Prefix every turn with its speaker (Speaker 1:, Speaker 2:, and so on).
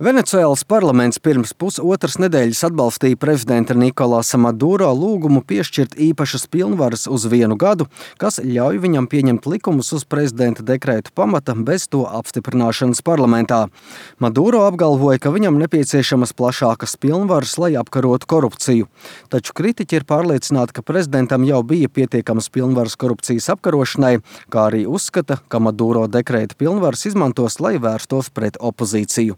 Speaker 1: Venecuēlas parlaments pirms pusotras nedēļas atbalstīja prezidenta Nikolasa Maduro lūgumu piešķirt īpašas pilnvaras uz 1 gadu, kas ļauj viņam pieņemt likumus uz prezidenta dekrētu pamata bez to apstiprināšanas parlamentā. Maduro apgalvoja, ka viņam nepieciešamas plašākas pilnvaras, lai apkarotu korupciju. Taču kritiķi ir pārliecināti, ka prezidentam jau bija pietiekamas pilnvaras korupcijas apkarošanai, kā arī uzskata, ka Maduro dekrēta pilnvaras izmantos, lai vērstos pret opozīciju.